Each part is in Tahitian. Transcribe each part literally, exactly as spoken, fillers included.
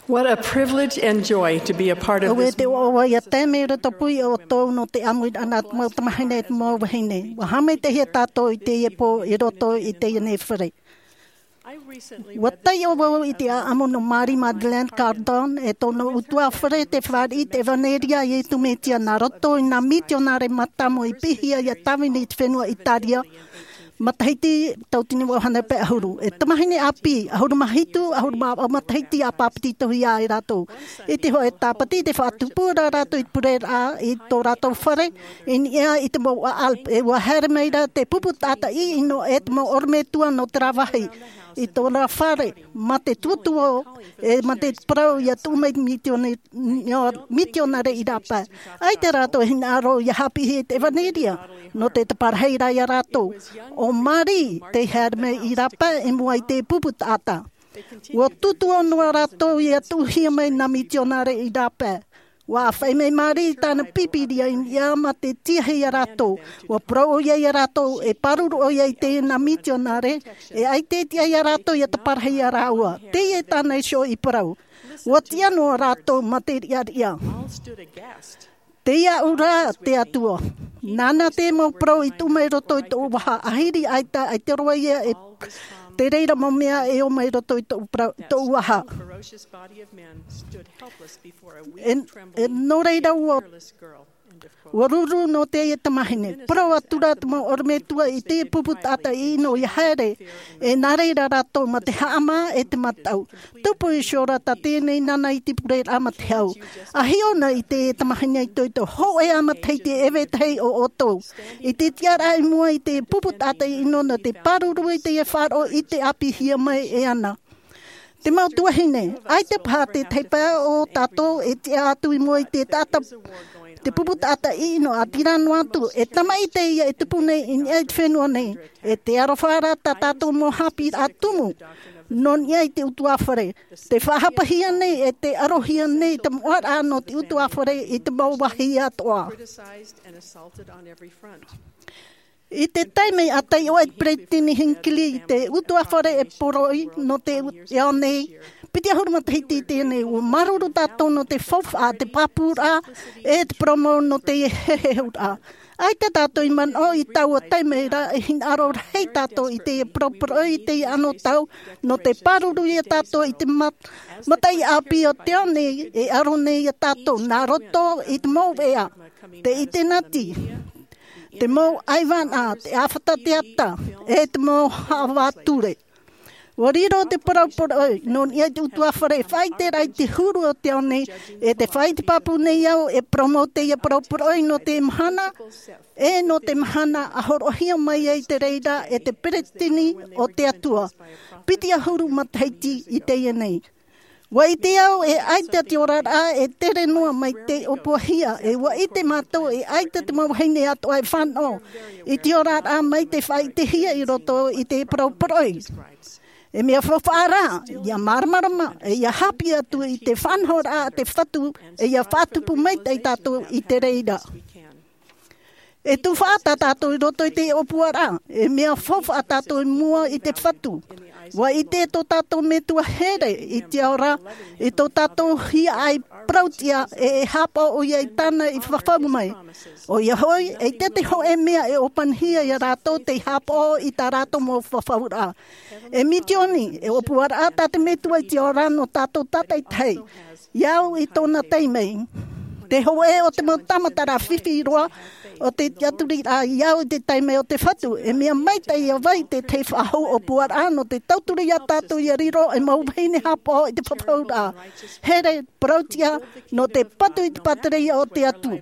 What a privilege and joy to be a part of this. Auē te ʻoaʻoa ia tae mai i roto pū ia ʻoutou nō te ʻāmuiraʻa nā te mau tamahine, te mau vahine. ʻUa haʻamaitaʻihia tātou i teie pō i roto i teie nei fare. ʻUa taiʻo vau i te ʻāʻamu nō Mary Magdalene Cardon, e tōna ʻutuāfare, tei fāriʻi i te ʻevanelia a Iesu Mesia nā roto i nā mitionare mātāmua i piʻihia ia tāvini i te fenua Italia, matahiti tauatini vaʻu hānere pae ʻahuru. E tamahine ʻāpī, ʻahuru mā hitu, ʻahuru mā vaʻu matahiti a bāpetizohia ai rātou. I te hōʻē Tāpati, tei faʻatupu ra rātou i te pureraʻa i tō rātou fare, i niʻa i te mouʻa Alps, e ʻua haere mai ra te pupu taʻata ʻino e te mau ʻorometua nō terā vāhi, i tōna fare, mā te tuotuo, e mā te parau ia tuʻu mai te mitione-, mitionare i rāpae. ʻAita rātou e hinaʻaro ia haʻapiʻihia i te ʻevanelia, nō te taparahi ra ia rātou. ʻO Mary tei haere mai i rāpae i mua i te pupu taʻata. ʻUa tuotuo noa rātou ia tuʻuhia mai nā mitionare i rāpae. ʻUa ʻāfaʻi mai Mary i tāna Pīpīria i niʻa mā te tiahi ia rātou. ʻUa parau ʻoia ia rātou, e pāruru ʻoia i teie nā mitionare, e ʻaita e tiʻa ia rātou ia taparahi ia rāua. Teie tāna iho i parau. ʻUa tiʻa noa rātou mā te riʻariʻa. Tei iāʻu rā te Atua. Nāna te mau parau i tuʻu mai roto i tōʻu vaha, ʻahiri ʻaita, ʻaita roa ia e te reira mau mea e ō mai roto i tōʻu parau, tōʻu vaha. E, e nō reira ʻua, ʻua ruru nō teie tamahine. Parau atu ra te mau ʻorometua i te pupu taʻata ʻino ia haere, e nā reira rātou mā te haʻamā e te mataʻu. Tupu iho ra tā teie nei nāna i te pureraʻa mā te hau. A hiʻo na i te tamahine itoito, hōʻē ā matahiti e vetahi o ʻoutou. I te tiʻaraʻa i mua i te pupu taʻata ʻino nō te pāruru i teie faʻaroʻo i te ʻāpīhia mai e ana. Te mau tuahine, ʻaita paha te taipa o tātou e tiʻa atu i mua i te taʻata, te pupu taʻata ʻino, ʻaita rā noa atu, e tamaʻi teie e tupu nei i niʻa i te fenua nei, e te aroha ra tā tātou mau haʻapiʻiraʻa tumu, nō niʻa i te ʻutuāfare. Tē faʻahapahia nei, e tē arohia nei te moʻaraʻa nō te ʻutuāfare i te mau vāhi atoʻa. I te taime a taiʻo ai te Peretiteni Hinckley i te ʻutuāfare e poroʻi nō te u-, ao nei, piti ʻahuru matahiti i teie nei, ʻua māuruuru tātou nō te faufaʻa, te pāpūraʻa, e te parau mau nō te heheuraʻa. ʻAita tātou i manaʻo i taua taime ra, e hinaʻaro rahi tātou i te parauparau i teie anotau, nō te pāruru ia tātou i te mat-, mataʻi ʻāpī o te ao nei, e aro nei ia tātou, nā roto i te mau veʻa, te itenati, te mau ʻaivānaʻa, te ʻāfata teata, e te mau haʻavā ture. ʻUa riro te parauparau nō niʻa i te ʻutuāfare, faʻaʻite ra i te huru o te ao nei, e tē faʻaʻite pāpū nei au, e parau mau teie parauparau nō te mahana, e nō te mahana a hōroʻahia mai ai te reira e te Peretiteni o te Atua. Piti ʻahuru matahiti i teie nei. ʻUa ʻite au e ʻaita te oraraʻa e tere noa mai te ʻōpuahia, e ʻua ʻite mātou e ʻaita te mau vahine atoʻa e fānaʻo i te oraraʻa mai te faʻaʻitehia i roto i te parauparau. E mea faufaʻa rā, ʻia māramarama, e ʻia haʻapiʻi atu i te faʻanahoraʻa a te Fatu, e ʻia faʻatupu maitaʻi tātou i te reira. E tufaʻa tā tātou i roto i te ʻōpuaraʻa, e mea faufaʻa tātou i mua i te Fatu. ʻUa ʻite tō tātou Metua here i te ao ra, i tō tātou hiaʻai parauʻtiʻa, e, e haʻapaʻo ʻoia i tāna i fafau mai. ʻOia hoʻi, ʻeita te hōʻē mea e ʻōpanihia ia rātou tei haʻapaʻo i tā rātou mau fafauraʻa. E mitioni, e ʻōpuaraʻa tā te Metua i te ao ra nō tātou tātaʻitahi. I au i tōna taime. Te hōʻē o te mau tāmataraʻa fifi roa o te tiʻaturiraʻa i au i te taime o te Fatu, e mea maitaʻi ʻia vai te tahi faʻahou ʻōpuaraʻa nō te tauturu ia tātou ʻia riro ei mau vahine haʻapaʻo i te fafauraʻa. Here, parauʻtiʻa, nō te patu i te pātireia o te Atua.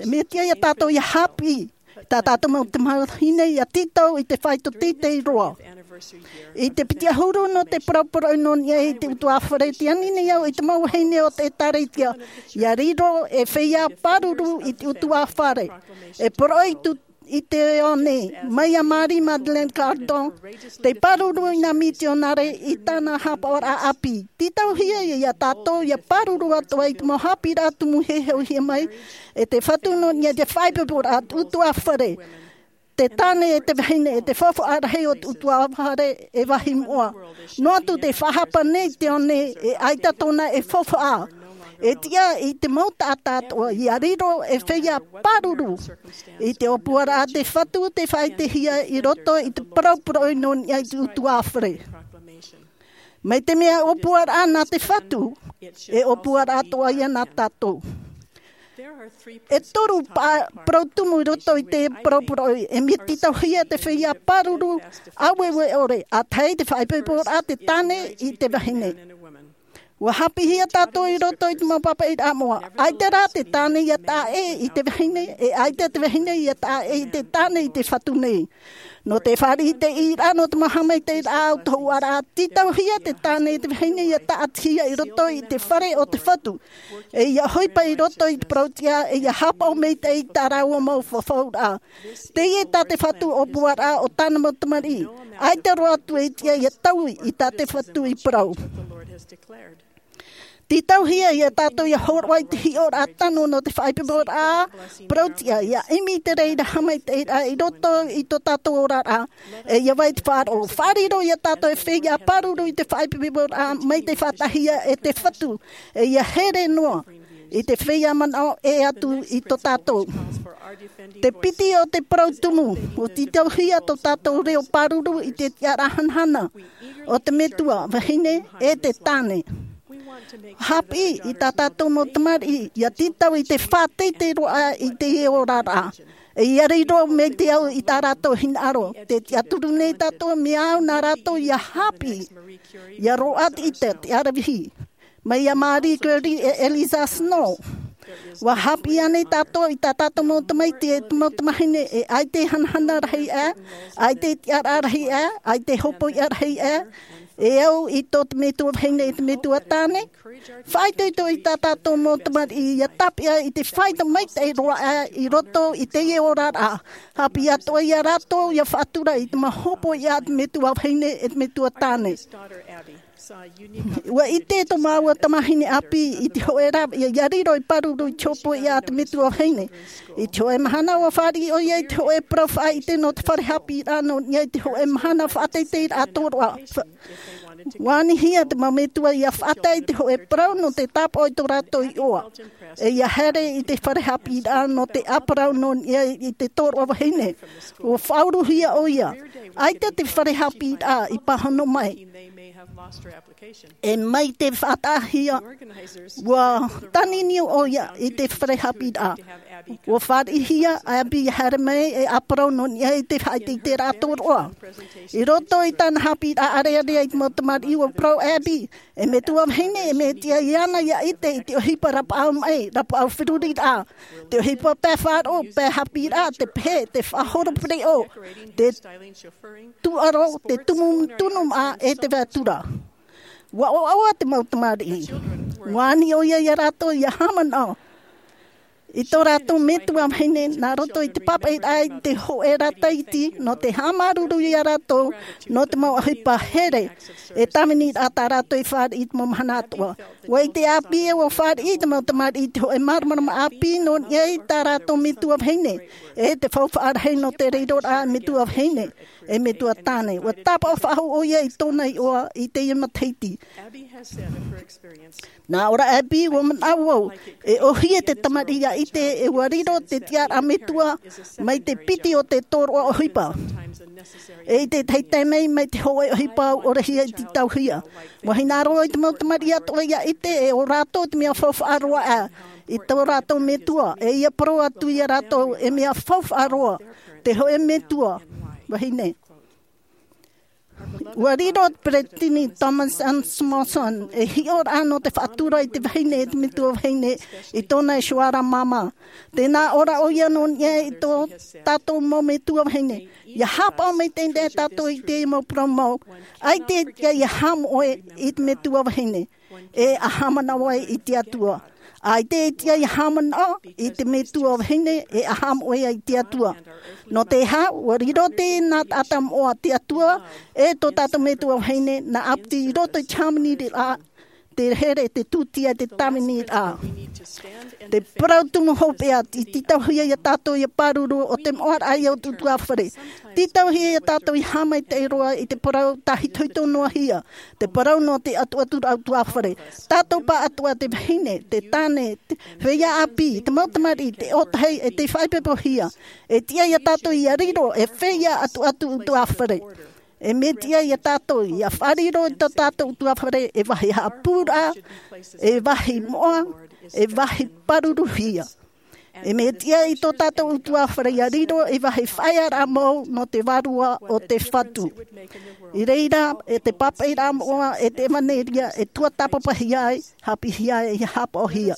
E mea tiʻa ia tātou ʻia haʻapiʻi, tā tātou mau tamahine ʻia tītau i te faito teitei roa. I te piti ʻahuru nō te parauparau nō niʻa i te ʻutuāfare, tē ani nei au i te mau vahine o te ʻĒtārētia, ʻia riro ei feiā pāruru i te ʻutuāfare. E poroʻi atu i te ao nei, mai iā Mary Magdalene Cardon, tei pāruru i nā mitionare i tāna haʻapaʻoraʻa ʻāpī. Tītauhia ia tātou ʻia pāruru atoʻa i te mau haʻapiʻiraʻa tumu e hōroʻahia mai e te Fatu nō niʻa i te faʻaipoiporaʻa ʻutuāfare. Te tāne e te vahine e te faufaʻa rahi o te utuafare e vāhi moʻa. Noa atu te faʻahapa nei te ao nei e ʻaita tōna e faufaʻa. E tiʻa i te mau taʻata atoʻa ia riro e feiā pāruru. I te ʻōpuaraʻa a te Fatu te faʻaʻitehia i roto i te parau poroʻi nō niʻa i te utuafare. Mai te mea ʻōpuaraʻa nā te Fatu, e ʻōpuaraʻa atoʻa ia nā tātou. E toru pa-, parau tumu i roto i te parau poroʻi, e mea tītauhia te feiā pāruru, ʻāueue ʻore, ʻa tahi te faʻaipoiporaʻa te tāne i te vahine. Ua hāpiʻihia tātou i roto i te mau pāpaʻiraʻa moʻa. ʻAita rā te tāne ia taʻa ʻē i te vahine, e ʻaita te vahine ia taʻa ʻē i te tāne i te Fatu nei. Nō te fāriʻi i te ʻīraʻa nō te mau haʻamaitaʻiraʻa o te hōʻaraʻa, tītauhia te tāne i te vahine ia taʻatihia i roto i te fare o te Fatu. E ia ʻohipa i roto i te parau tiʻa, e ia haʻapaʻo maitaʻi i tā rāua mau fafauraʻa. Teie tā te Fatu ʻōpuaraʻa o tāna mau tamariʻi. ʻAita roa atu e tiʻa ia taui i tā te Fatu i parau. Tītauhia ia tātou ia hōroʻa i te hiʻoraʻa tano nō te faʻaipoiporaʻa parau tiʻa, ia ʻimi i te reira haʻamaitaʻiraʻa i roto i tō tātou oraraʻa. E ia vai te faʻaroʻo, faʻariro ia tātou e feiā pāruru i te faʻaipoiporaʻa mai te faʻataʻahia e te Fatu. E ia here noa i te feiā manaʻo ʻē atu i tō tātou. Te piti o te parau tumu, ʻua tītauhia tō tātou reo pāruru i te tiʻaraʻa hanahana o te metua vahine e te tāne. Hāpiʻi i tā tātou mau tamariʻi, ia tītau i te faʻateitei roa i te oraraʻa. E ia riro mai te au i tā rātou hinaʻaro, tē tiʻaturi nei tātou mea au nā rātou ia hāpiʻi. Ia roaʻa te ʻite, te aravihi. Mai iā Marie Curie e Eliza Snow. ʻUa hāpiʻi ānei tātou i tā tātou mau tamaiti e te mau tamahine e ʻaita e hanahana rahi aʻe, ʻaita e tiʻaraʻa rahi aʻe, ʻaita e hōpoiʻa rahi aʻe, e au i tō te metua vahine e te metua tāne? Faʻaitoito i tā tātou mau tamariʻi ia tāpeʻa i te faʻaʻite maitaʻi roa aʻe i roto i teie oraraʻa. Hāpiʻi atoʻa ia rātou ia faʻatura i te mau hōpoiʻa a te metua vahine e te metua tāne. ʻUa ʻite tō māua tamahine ʻāpī i te hōʻē rāveʻa ia riro ei pāruru i te hōpoiʻa a te metua vahine. I te hōʻē mahana ʻua fāriʻi ʻoia i te hōʻē parau faʻaʻite nō te fare haʻapiʻiraʻa nō niʻa i te hōʻē mahana faʻateiteiraʻa tōroʻa. Fa-, ʻua anihia te mau metua ia faʻatae i te hōʻē parau nō te tāpaʻo i tō rātou iʻoa. E ia haere i te fare haʻapiʻiraʻa nō te ʻāparau nō niʻa i te tōroʻa vahine. ʻUa faʻauruhia ʻoia. ʻAita te fare haʻapiʻiraʻa i pāhono mai. E mai te faʻataʻahia, ʻua tāniniu ʻoia i te fare haʻapiʻiraʻa. ʻUa fāriʻihia Abby ia haere mai e ʻāparau nō niʻa i te faʻateiteiraʻa tōroʻa. I roto i tāna haʻapiʻiraʻa ʻarearea i te mau tamariʻi, ʻua parau Abby, e metua vahine, e mea tiʻa iāna ia ʻite i te ʻohipa rapaʻau maʻi, rapaʻau feruriraʻa, te ʻohipa pae faʻaroʻo, pae haʻapiʻiraʻa, te pehe, te faʻahoro pereʻoʻo, te tūʻaro, te tumu tunumaʻa e te vātura. ʻUa ʻoaʻoa te mau tamariʻi. ʻUa ani ʻoia ia rātou ia haʻamanaʻo i tō rātou metua vahine nā roto i te pāpaʻiraʻa i te hōʻē rā tahiti nō te haʻamāuruuru ia rātou nō te mau ʻohipa here. E tāviniraʻa tā rātou i fāriʻi i te mau mahana atoʻa. ʻUa ʻite Abby ē ʻua fāriʻi te mau tamariʻi i te hōʻē māramarama ʻāpī nō niʻa i tā rātou metua vahine, e te faufaʻa rahi nō te riroraʻa metua vahine e metua tāne. ʻUa tāpaʻo faʻahou ʻoia i tōna iʻoa i teie matahiti. Nā ʻō ra Abby, ʻua manaʻo au, e ʻōhie te tamariʻi ia ʻite e ʻua riro te tiʻaraʻa metua mai te piti o te tōroʻa ʻohipa. E i te tahi taime mai, mai te hōʻē ʻohipa ʻaore hia i tītauhia. ʻUa hinaʻaro i te mau tamariʻi atoʻa ia ʻite e ʻo rātou te mea faufaʻa roa aʻe i tō rātou metua, e ia parau atu ia rātou e mea faufaʻa roa te hōʻē metua vahine. ʻUa riro te peresideni Thomas S. Monson ei hiʻoraʻa nō te faʻatura i te vahine e te metua vahine i tōna iho ra māmā. Tē nā ʻō ra ʻoia nō niʻa i tō tātou mau metua vahine. Ia haʻapaʻo maitaʻi nei tātou i te mau parau mau. ʻAita e tiʻa ia haʻamoʻe i te metua vahine e e haʻamanaʻo ai i te Atua. ʻAita e tiʻa ia haʻamanaʻo i te metua vahine e e haʻamoʻe ai i te Atua. Nō te aha? ʻUa riro teie nā taʻata moʻa te Atua, e tō tātou metua vahine nā ʻāpiti i roto i te hāmaniraʻa te here, te tūtia, te tāviniraʻa. Te parau tumu hopeʻa, i tītauhia iā tātou ia pāruru, ʻo te moʻaraʻa ia o te ʻutuāfare. Tītauhia iā tātou ia haʻamaitaʻi roa i te parau tāhitohito noa hia, te parau nō te ʻatuʻaturaʻa ʻutuāfare. Tātou pāʻatoʻa, te vahine, te tāne, te feiā ʻāpī, te mau tamariʻi, te ʻōtahi, e tei faʻaipoipohia. E tiʻa iā tātou ia riro ei feiā ʻatuʻatu ʻutuāfare. E mea tiʻa iā tātou ia faʻariro i tō tātou ʻutuāfare ei vāhi haʻapūraʻa, ei vāhi moʻa, ei vāhi pāruruhia. E mea tiʻa i tō tātou ʻutuāfare ia riro ei vāhi faʻaearaʻa mau nō te vārua o te Fatu. I reira, e te pāpaʻiraʻa moʻa, e te ʻevaneria, e tuatāpapahia ai, haʻapiʻihia ai, e haʻapaʻohia.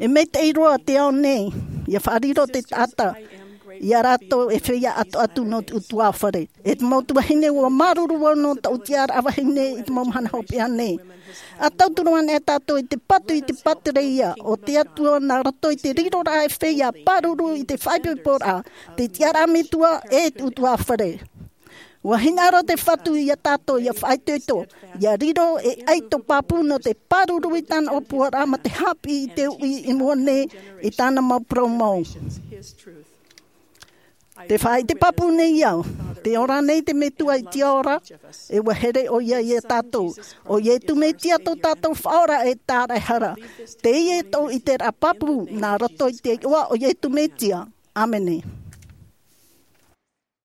E maitaʻi roa te ao nei, ia faʻariro te taʻata iā rātou ei feiā ʻatuʻatu nō te ʻutuāfare. E te mau tuahine, ʻua māuruuru vau nō tōʻu tiʻaraʻa vahine i te mau mahana hopeʻa nei. ʻA tauturu ana e tātou i te patu i te pātireia o te Atua nā roto i te riroraʻa ei feiā pāruru i te faʻaipoiporaʻa, te tiʻaraʻa metua, e te ʻutuāfare. ʻUa hinaʻaro te Fatu iā tātou ia faʻaitoito, ia riro ei ʻaito pāpū nō te pāruru i tāna ʻōpuaraʻa mā te haʻapiʻi i te uʻi i mua nei i tāna mau parau mau. Te faʻaʻite pāpū nei au, tē ora nei te Metua i te ao ra, e ʻua here ʻoia iā tātou. ʻO Iesu Mesia tō tātou Faʻaora e Tāraʻehara. Teie tōʻu ʻiteraʻa pāpū nā roto i te iʻoa o Iesu Mesia. ʻĀmene.